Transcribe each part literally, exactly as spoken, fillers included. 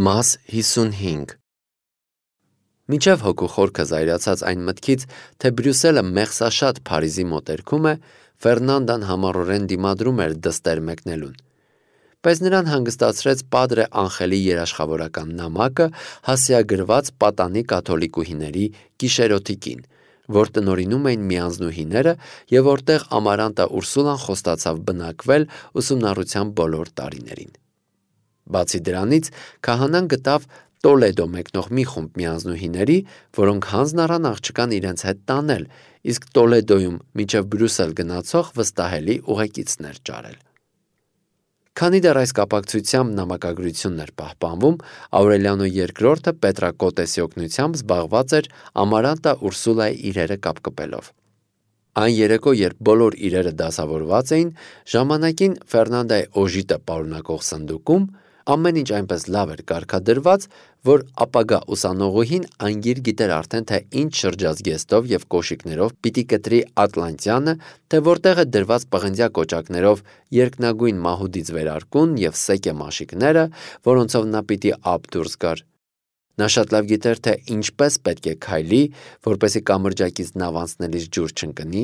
Մաս հիսունհինգ Մինչև հոգու խորքը զայրացած այն մտքից, թե Բրյուսելը մեղսաշատ Փարիզի մոտերքում է, Ֆերնանդան համառորեն դիմադրում էր դստեր մեկնելուն: Բայց նրան հանգստացրեց Падրե Անխելի երաշխավորական նամակը, հասցեագրված պատանի կաթոլիկուհիների գիշերօթիկին, որ տնօրինում էին միանձնուհիները և որտեղ Ամարանտա Ուրսուլան խոստացավ բնակվել ուսումնառության բոլոր տարիներին: Բացի դրանից, քահանան գտավ Տոլեդո մեկնող մի խումբ միանձնուհիների, որոնք հանձն առան աղջկան իրենց հետ տանել, իսկ Տոլեդոյում մինչև Բրյուսել գնացող վստահելի ուղեկիցներ ճարել: Քանի դեռ այս կապակցությամբ նամակագրությունն էր պահպանվում, Աուրելիանո երկրորդը Պետրակոտեսի օգնությամբ զբաղված էր Ամարանտա Ուրսուլայի իրերը կապկպելով: Այն երեկո, երբ բոլոր իրերը դասավորված էին, ժամանակին Ֆերնանդայի օժիտը պարունակող սնդուկում ամեն ինչ այնպես լավ էր կարգադրված, որ ապագա ուսանողուհին անգիր գիտեր արդեն, թե ինչ շրջազգեստով և կոշիկներով պիտի կտրի ատլանտյանը, թե որտեղ է դրված պղնձյա կոճակներով երկնագույն մահուդից վերարկուն և սեկե մաշիկները, որոնցով նա պիտի ափ դուրս գար: Նա շատ լավ գիտեր, թե ինչպես պետք է քայլի, որպեսզի կամրջակից նավ անցնելիս ջուր չընկնի,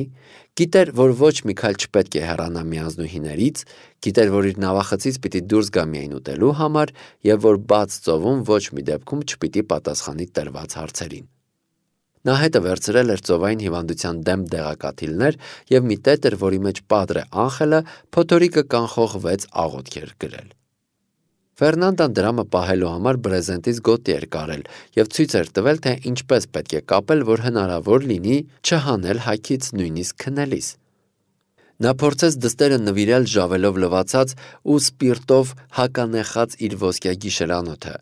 գիտեր, որ ոչ մի քայլ չպետք է հեռանա միանձնուհիներից, գիտեր, որ իր նավախցից պիտի դուրս գա միայն ուտելու համար և որ բաց ծովում ոչ մի դեպքում չպիտի պատասխանի տրված հարցերին: Նա հետը վերցրել էր ծովային հիվանդության դեմ դեղակաթիլներ և մի տետր, որի մեջ Падրե Անխելը փոթորիկը կանխող վեց աղոթք էր գրել: Ֆերնանդան դրամը պահելու համար բրեզենտից գոտի էր կարել և ցույց էր տվել, թե ինչպես պետք է կապել, որ հնարավոր լինի չհանել հագից նույնիսկ քնելիս: Նա փորձեց դստերը նվիրել ժավելով լվացած ու սպիրտով հականեխած իր ոսկյա գիշերանոթը,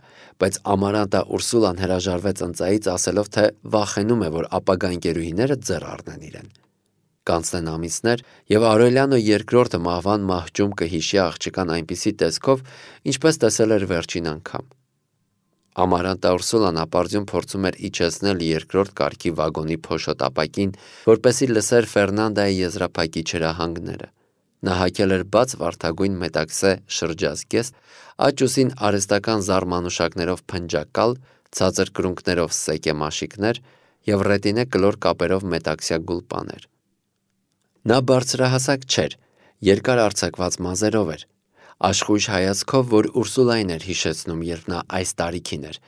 բայց Ամարանտա Ուրսուլան հրաժարվեց ընծայից, ասելով, թե վախենում է, որ ապագա ընկերուհիները ձեռ առնեն իրեն: Կանցնեն ամիսներ, և Աուրելիանո երկրորդը մահվան մահճում կհիշի աղջկան այնպիսի տեսքով, ինչպես տեսել էր վերջին անգամ: Ամարանտա Ուրսուլան ապարդյուն փորձում էր իջեցնել երկրորդ կարգի վագոնի փոշոտ ապակին, որպեսզի լսեր Ֆերնանդայի եզրափակիչ հրահանգները: Նա հագել էր բաց վարդագույն մետաքսե շրջազգեստ, աջ ուսին արհեստական զարմանուշակներով փնջակալ, ցածր կրունկներով սեկե մաշիկներ և ռետինե կլոր կապերով մետաքսյա գուլպաներ: Նա բարձրահասակ չէր, երկար արձակված մազերով էր, աշխույժ հայացքով, որ Ուրսուլային էր հիշեցնում, երբ նա այս տարիքին էր,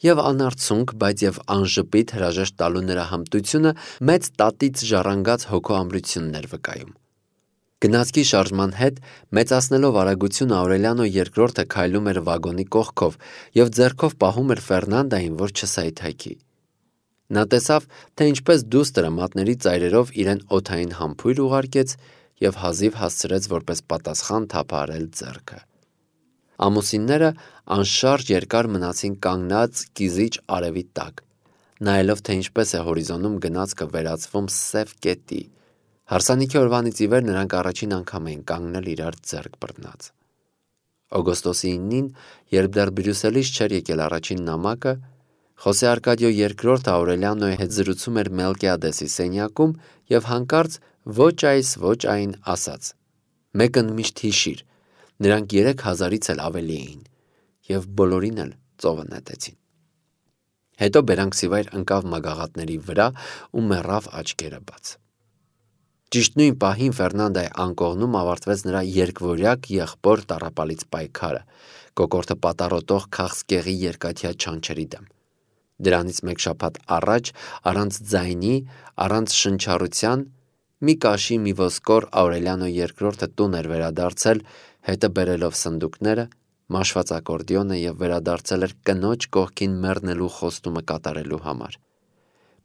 և անարցունք, բայց և անժպիտ հրաժեշտ տալու նրա հմտությունը մեծ տատից ժառանգած հոգու ամրությունն էր վկայում: Գնացքի շարժման հետ մեծացնելով արագությունը Աուրելիանո երկրորդը քայլում էր վագոնի կողքով և ձեռքով պահում էր Ֆերնանդային, որ չսայթաքի: Նա տեսավ, թե ինչպես դուստրը մատների ծայրերով իրեն օդային համբույր ուղարկեց և հազիվ հասցրեց որպես պատասխան թափահարել ձեռքը: Ամուսինները անշարժ երկար մնացին կանգնած կիզիչ արևի տակ, նայելով, թե ինչպես է հորիզոնում գնացքը վերածվում սև կետի: Հարսանիքի օրվանից ի վեր նրանք առաջին անգամ էին կանգնել իրար ձեռք բռնած: Օգոստոսի իննին, երբ դեռ Բրյուսելից չէր եկել առաջին նամակը, Խոսե Արկադիո երկրորդը Աուրելիանոյի հետ զրուցում էր Մելկիադեսի սենյակում և հանկարծ ոչ այս ոչ այն ասաց. «Մեկն միշտ հիշիր, նրանք երեք հազարից էլ ավելի էին» և բոլորին էլ ծովը նետեցին: Հետո բերանքսիվայր ընկավ մագաղատների վրա ու մեռավ աչքերը բաց: Ճիշտ նույն պահին Ֆերնանդայի անկողնում ավարտվեց նրա երկվորյակ եղբոր տառապալից պայքարը, կոկորդը պատառոտող քաղցկեղի երկաթյա չանչերի դեմ: Դրանից մեկ շաբաթ առաջ, առանց ձայնի, առանց շնչառության, մի կաշի մի ոսկոր Աուրելիանո երկրորդը տուն էր վերադարձել, հետը բերելով սնդուկները, մաշված ակորդեոնը և վերադարձել էր կնոջ կողքին մեռնելու խոստումը կատարելու համար: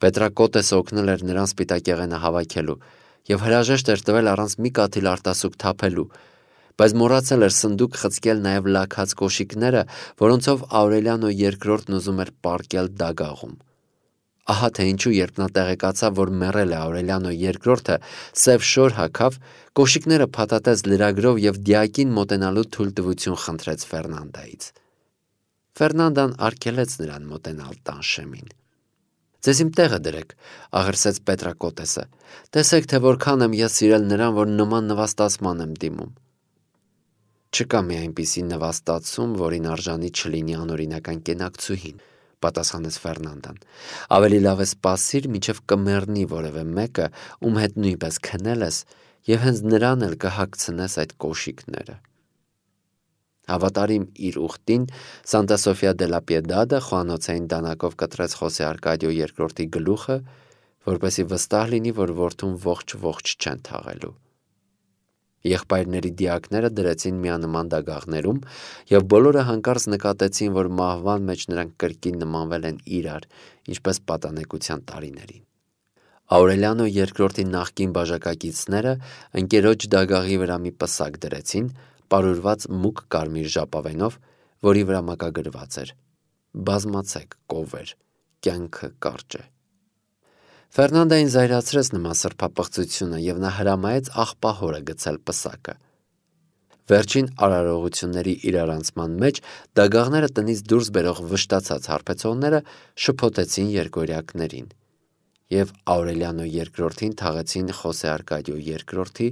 Պետրակոտեսը օգնել էր նրան սպիտակեղենը հավաքելու և հրաժեշտ էր տվել առանց մի կաթիլ արտասուք թափելու, բայց մոռացել էր սնդուկ խցկել նաև լաքած կոշիկները, որոնցով Աուրելիանո երկրորդն ուզում էր պառկել դագաղում: Ահա թե ինչու երբ նա տեղեկացավ, որ մեռել է Աուրելիանո երկրորդը, սև շոր հագավ, կոշիկները փաթաթեց լրագրով և դիակին մոտենալու թույլտվություն խնդրեց Ֆերնանդայից: Ֆերնանդան արգելեց նրան մոտենալ տան շեմին: «Ձեզ իմ տեղը դրեք», աղրսեց Պետրակոտեսը, «տեսեք, թե որքան եմ ես սիրել նրան, որ նման նվաստացման եմ դիմում»: Չկա մի այնպիսի նվաստացում, որին արժանի չլինի անօրինական կենակցուհին, պատասխանեց Ֆերնանդան։ Ավելի լավ է սպասիր, մինչև կմեռնի որևէ մեկը, ում հետ նույնպես քնել ես, եւ հենց նրան էլ կհագցնես այդ կոշիկները։ Հավատարիմ իր ուխտին, Սանտա Սոֆիա դե լա Պիեդադը խոհանոցային դանակով կտրեց Խոսե Արկադիո երկրորդի գլուխը, որպեսզի վստահ լինի, որ որդուն ողջ-ողջ չեն թաղելու։ Եղբայրների դիակները դրեցին միանման դագաղներում, եւ բոլորը հանկարծ նկատեցին, որ մահվան մեջ նրանք կրկին նմանվել են իրար, ինչպես պատանեկության տարիներին։ Աուրելիանո երկրորդի նախկին բաժակակիցները ընկերոջ դագաղի վրա մի պսակ դրեցին, պարուրված մուգ կարմիր ժապավենով, որի վրա մակագրված էր. «Բազմացեք, կովեր, կյանքը կարճ է»։ Ֆերնանդային զայրացրեց նման սրբապղծությունը, եւ նա հրամայեց աղբահորը գցել պսակը։ Վերջին արարողությունների իրարանցման մեջ դագաղները տնից դուրս բերող վշտացած հարբեցողները շփոթեցին երկօրյակներին, եւ Աուրելիանո երկրորդին թաղեցին Խոսե Արկադիո երկրորդի,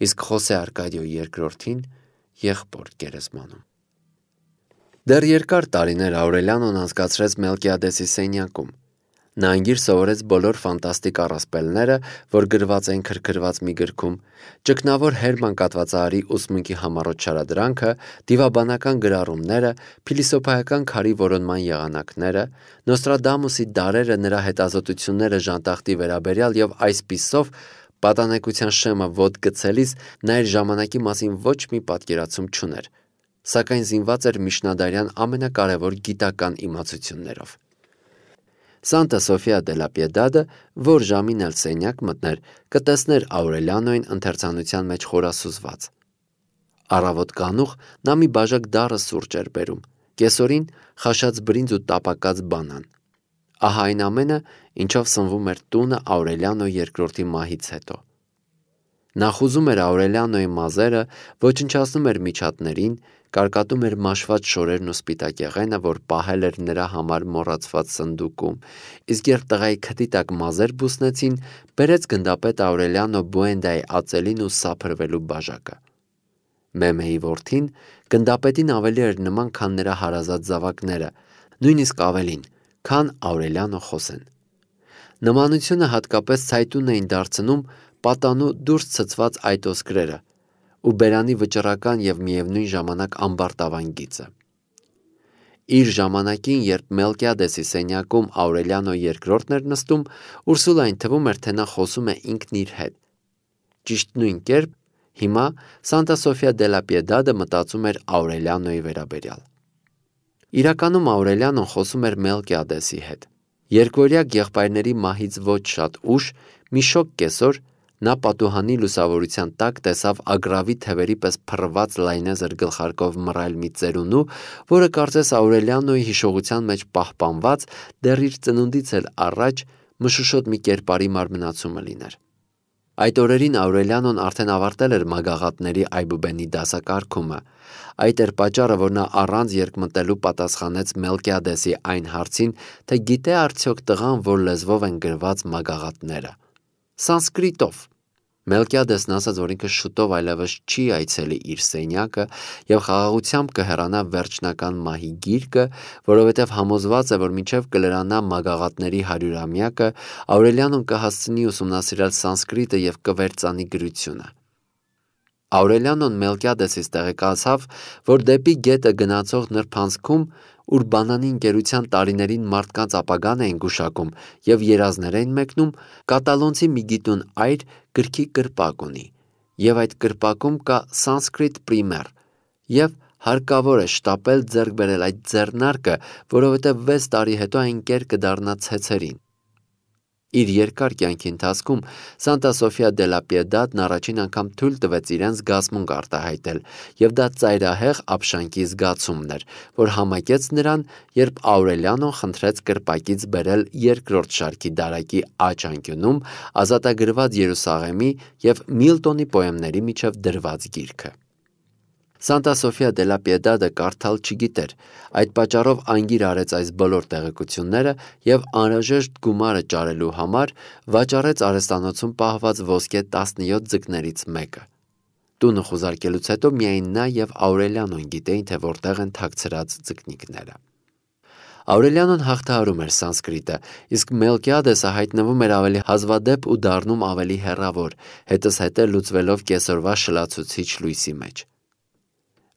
իսկ Խոսե Արկադիո երկրորդին եղբոր գերեզմանում։ Դեռ երկար տարիներ Աուրելիանոն անցկացրեց Մելկիադեսի սենյակում։ Նա անգիր սովորեց բոլոր ֆանտաստիկ առասպելները, որ գրված էին քրքրված մի գրքում, ճգնավոր Հերման կատվածահարի ուսմունքի համառոտ շարադրանքը, դիվաբանական գրառումները, փիլիսոփայական քարի որոնման եղանակները, Նոստրադամուսի դարերը, նրա հետազոտությունները ժանտախտի վերաբերյալ եւ այսպիսով պատանեկության շեմը ոտ գցելիս նա իր ժամանակի մասին ոչ մի պատկերացում չուներ, սակայն զինված էր միջնադարյան ամենակարևոր գիտական իմացություններով։ Սանտա Սոֆիա դե լա Պիեդադը, որ ժամին էլ սենյակ մտներ, կտեսներ Աուրելիանոին ընթերցանության մեջ խորասուզված։ Առավոտ կանուխ նա մի բաժակ դառը սուրճ էր բերում, կեսօրին խաշած բրինձ ու տապակած բանան։ Ահա այն ամենը, ինչով սնվում էր տունը Աուրելիանո երկրորդի մահից հետո։ Նա խուզում էր Աուրելիանոյի մազերը, ոչնչացնում էր միջատներին, կարկատում էր մաշված շորերն ու սպիտակեղենը, որ պահել էր նրա համար մոռացված սնդուկում, իսկ երբ տղայի քթի տակ մազեր բուսնեցին, բերեց գնդապետ Աուրելիանո Բուենդայի ածելին ու սափրվելու բաժակը։ Մեմեի որդին գնդապետին ավելի էր նման, քան նրա հարազատ զավակները, նույնիսկ ավելին, քան Աուրելիանո Խոսեն։ Նմանությունը հատկապես ցայտուն էին դարձնում պատանու դուրս ցցված այտոսկրերը ու բերանի վճռական եւ միևնույն ժամանակ ամբարտավան գիծը։ Իր ժամանակին, երբ Մելկիադեսի սենյակում Աուրելիանո երկրորդն էր նստում, Ուրսուլային թվում էր, թե նա խոսում է ինքն իր հետ։ Ճիշտ նույն կերպ հիմա Սանտա Սոֆիա դե լա Պիեդադը մտածում էր Աուրելիանոյի վերաբերյալ։ Իրականում Աուրելիանոն խոսում էր Մելկիադեսի հետ։ Երկօրյակ եղբայրների մահից ոչ շատ ուշ, մի շոգ կեսօր, նա պատուհանի լուսավորության տակ տեսավ ագռավի թևերի պես փռված լայնեզր գլխարկով մռայլ մի ծերունու, որը կարծես Աուրելիանոյի հիշողության մեջ պահպանված, դեռ իր ծնունդից էլ առաջ մշուշոտ մի կերպարի մարմնացումը լիներ։ Այդ օրերին Աուրելիանոն արդեն ավարտել էր մագաղատների այբուբենի դասակարգումը։ Այդ էր պատճառը, որ նա առանց երկմտելու պատասխանեց Մելկիադեսի այն հարցին, թե գիտե արդյոք տղան, որ լեզվով են գրված մագաղատները։ Սանսկրիտով։ Մելկիադեսն ասաց, որ ինքը շուտով այլևս չի այցելի իր սենյակը եւ խաղաղությամբ կհեռանա վերջնական մահի գիրկը, որովհետեւ համոզված է, որ մինչեւ կլրանա մագաղատների հարյուրամյակը, Աուրելիանոն կհասցնի ուսումնասիրել սանսկրիտը եւ կվերծանի գրությունը։ Աուրելիանոն Մելկիադեսից տեղեկացավ, որ դեպի գետը գնացող նրբանցքում, ուր բանանի ընկերության տարիներին մարդկանց ապագան էին գուշակում եւ երազներ էին մեկնում, կատալոնցի մի գիտուն այր գրքի կրպակ ունի, եւ այդ կրպակում կա սանսկրիտ պրիմեր, եւ հարկավոր է շտապել ձեռք բերել այդ ձեռնարկը, որովհետեւ վեց տարի հետո այն կեր կդառնա ցեցերին։ Իր երկար կյանքի ընթացքում Սանտա Սոֆիա դե լա Պիեդադն առաջին անգամ թույլ տվեց իրեն զգացմունք արտահայտել, եւ դա ծայրահեղ ապշանքի զգացումն էր, որ համակեց նրան, երբ Աուրելիանոն խնդրեց կրպակից բերել երկրորդ շարքի դարակի աջ անկյունում ազատագրված Երուսաղեմի եւ Միլտոնի պոեմների միջև դրված գիրքը։ Սանտա Սոֆիա դե լա Պիեդադը կարդալ չգիտեր, այդ պատճառով անգիր արեց այս բոլոր տեղեկությունները եւ անհրաժեշտ գումարը ճարելու համար վաճառեց արհեստանոցում պահված ոսկե տասնյոթ ձկներից մեկը։ Տունը խուզարկելուց հետո միայն նա եւ Աուրելիանոն գիտեին, թե որտեղ են թաքցրած ձկնիկները։ Աուրելիանոն հաղթահարում էր սանսկրիտը, իսկ Մելկիադեսը հայտնվում էր ավելի հազվադեպ ու դառնում ավելի հեռավոր, հետզհետե լուծվելով կեսօրվա շլացուցիչ լույսի մեջ։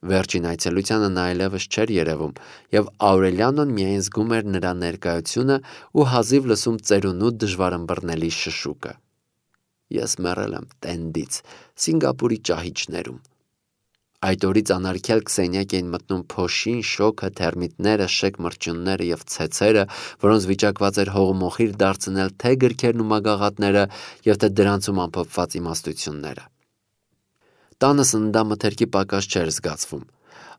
Վերջին այցելությանը նա այլևս չէր երևում, եւ Աուրելիանոն միայն զգում էր նրա ներկայությունը ու հազիվ լսում ծերունու դժվարըմբռնելի շշուկը։ Ես մեռել եմ տենդից, Սինգապուրի ճահիճներում։ Այդ օրից անարգյալ Քսենիակ էին մտնում փոշին, շոգը, թերմիտները, շեկ մրջյունները եւ ցեցերը, որոնց վիճակված էր հողմոխիր դարձնել թե գրքերն ու մագաղատները եւ թե դրանցում ամփոփված իմաստությունները։ Տանը սննդամթերքի պակաս չէր զգացվում։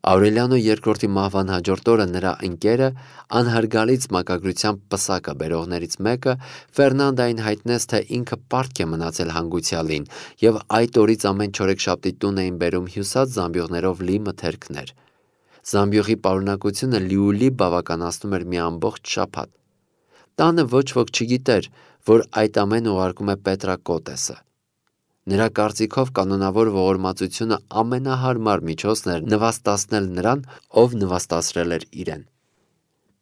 Աուրելիանո երկրորդի մահվան հաջորդ օրը նրա ընկերը, անհարգալից մակագրությամբ պսակը բերողներից մեկը, Ֆերնանդային հայտնեց, թե ինքը պարտք է մնացել հանգուցյալին, եւ այդ օրից ամեն չորեքշաբթի տուն էին բերում հյուսած զամբյուղներով լի մթերքներ։ Զամբյուղի պարունակությունը լիուլի բավականացնում էր մի ամբողջ շաբաթ։ Տանը ոչ ոք չգիտեր, որ այդ ամենը ուղարկում է Պետրակոտեսը։ Նրա կարծիքով կանոնավոր ողորմածությունը ամենահարմար միջոցն էր նվաստացնել նրան, ով նվաստացրել էր իրեն։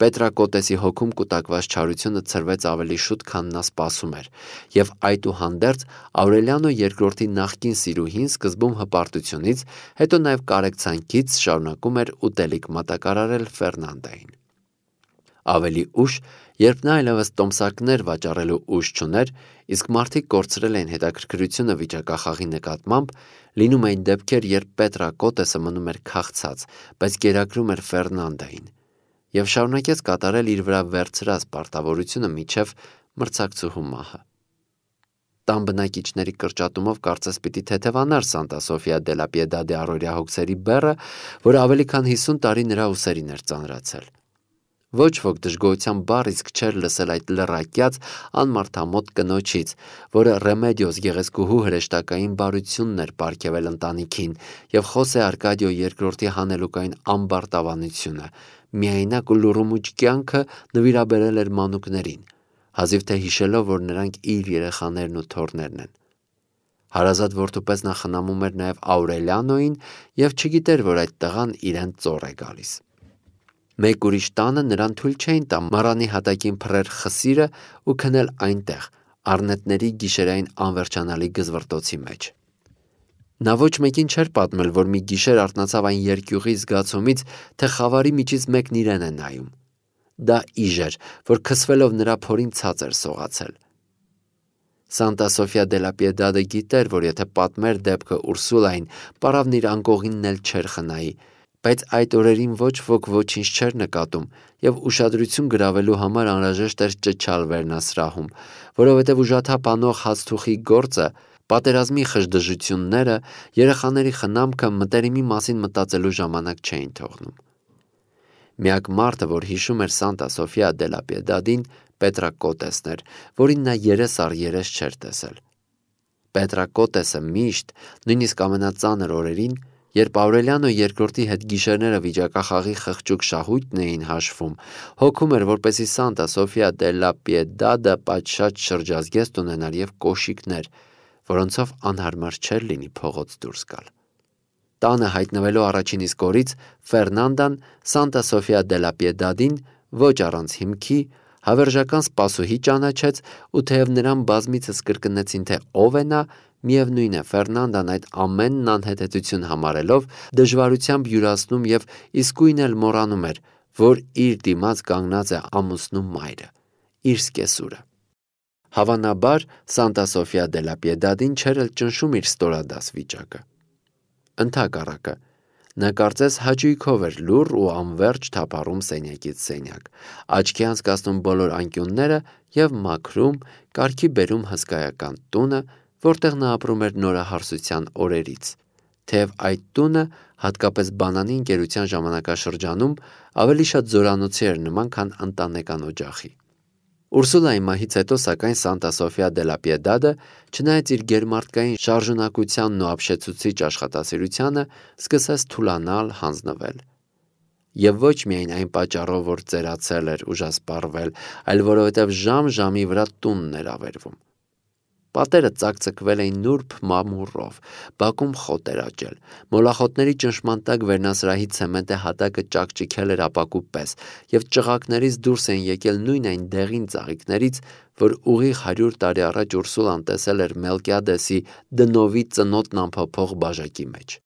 Պետրակոտեսի հոգում կուտակված չարությունը ցրվեց ավելի շուտ, քան նա սպասում էր, եւ այդուհանդերձ Աուրելիանո երկրորդի նախկին սիրուհին սկզբում հպարտությունից, հետո նաեւ կարեկցանքից շարունակում էր ուտելիք մատակարարել Ֆերնանդային։ Ավելի ուշ, երբ նա այլևս տոմսակներ վաճառելու ուժ չուներ, իսկ մարդիկ կորցրել էին հետաքրքրությունը վիճակախաղի նկատմամբ, լինում էին դեպքեր, երբ Պետրակոտեսը մնում էր քաղցած, բայց կերակրում էր Ֆերնանդային, եւ շարունակեց կատարել իր վրա վերցրած պարտավորությունը մինչև մրցակցուհու մահը։ Տան բնակիչների կրճատումով կարծես պիտի թեթևանար Սանտա Սոֆիա դե լա Պիեդադի առօրյա հոգսերի բեռը, որ ավելի քան հիսուն տարի նրա ուսերին էր ծանրացել։ Ոչ ոք դժգոհության բառ իսկ չէր լսել այդ լռակյաց անմարդամոտ կնոջից, որը Ռեմեդիոս գեղեցկուհու հրեշտակային բարությունն էր պարգևել ընտանիքին, եւ Խոսե Արկադիո երկրորդի հանելուկային ամբարտավանությունը, միայնակ ու լուռումուճ կյանքը նվիրաբերել էր մանուկներին, հազիվ թե հիշելով, որ նրանք իր երեխաներն ու թոռներն են։ Հարազատ որդու պես նա խնամում էր նաեւ Աուրելիանոին եւ չգիտեր, որ այդ տղան իրեն ծոր է գալիս։ Մեկ ուրիշ տանը նրան թույլ չէին տա մառանի հատակին փռեր խսիրը ու քնել այնտեղ, առնետների գիշերային անվերջանալի գզվռտոցի մեջ։ Նա ոչ մեկին չէր պատմել, որ մի գիշեր արթնացավ այն երկյուղի զգացումից, թե խավարի միջից մեկն իրեն է նայում։ Դա իժ էր, որ քսվելով նրա փորին ցած էր սողացել։ Սանտա Սոֆիա դե լա Պիեդադը գիտեր, որ եթե պատմեր դեպքը Ուրսուլային, պարավն իր անկողինն էլ չէր խնայի, բայց այդ օրերին ոչ ոք ոչինչ չէր նկատում, եւ ուշադրություն գրավելու համար անհրաժեշտ էր ճչալ վերնասրահում, որովհետեւ ուժաթափ անող հացթուխի գործը, պատերազմի խժդժությունները, երեխաների խնամքը մտերիմի մասին մտածելու ժամանակ չէին թողնում։ Միակ մարդը, որ հիշում էր Սանտա Սոֆիա դե լա Պիեդադին, Պետրակոտեսն էր, որին նա երես առ երես չէր տեսել։ Պետրակոտեսը միշտ, նույնիսկ ամենածանր օրերին, երբ Աուրելիանո երկրորդի հետ գիշերները վիճակախաղի խղճուկ շահույթն էին հաշվում, հոգում էր, որպեսզի Սանտա Սոֆիա դե լա Պիեդադը պատշաճ շրջազգեստ ունենար եւ կոշիկներ, որոնցով անհարմար չէր լինի փողոց դուրս գալ։ Տանը հայտնվելու առաջին իսկ օրից Ֆերնանդան Սանտա Սոֆիա դե լա Պիեդադին ոչ առանց հիմքի հավերժական սպասուհի ճանաչեց, ու թեև նրան բազմիցս կրկնեցին, թե ով է նա, միևնույն է, Ֆերնանդան այդ ամենն անհեթեթություն համարելով դժվարությամբ յուրացնում եւ իսկույն էլ մոռանում էր, որ իր դիմաց կանգնած է ամուսնու մայրը, իր սկեսուրը։ Հավանաբար Սանտա Սոֆիա դե լա Պիեդադին չէր էլ ճնշում իր ստորադաս վիճակը։ Ընդհակառակը, նա կարծես հաճույքով էր լուռ ու անվերջ թափառում սենյակից սենյակ, աչքի անցկացնում բոլոր անկյունները եւ մաքրում, կարգի բերում հսկայական տունը, որտեղ նա ապրում էր նորահարսության օրերից, թեև այդ տունը, հատկապես բանանի ընկերության ժամանակաշրջանում, ավելի շատ զորանոցի էր նման, քան ընտանեկան օջախի։ Ուրսուլայի մահից հետո, սակայն, Սանտա Սոֆիա դե լա Պիեդադը, չնայած իր գերմարտկային շարժունակությանն ու ապշեցուցիչ աշխատասիրությանը, սկսեց թուլանալ, հանձնվել։ Եվ ոչ միայն այն պատճառով, որ ծերացել էր, ուժասպառվել, այլ որովհետև ժամ ժամի վրա տունն էր ավերվում։ Պատերը ծակծկվել էին նուրբ մամուռով, բակում խոտ էր աճել, մոլախոտների ճնշման տակ վերնասրահի ցեմենտե հատակը ճաքճքել էր ապակու պես, և ճղակներից դուրս էին եկել նույն այն դեղին ծաղիկներից, որ ուղիղ հարյուր տարի առաջ Ուրսուլան տեսել էր Մելկիադեսի դնովի ծնոտն անփոփոխ բաժակի մեջ: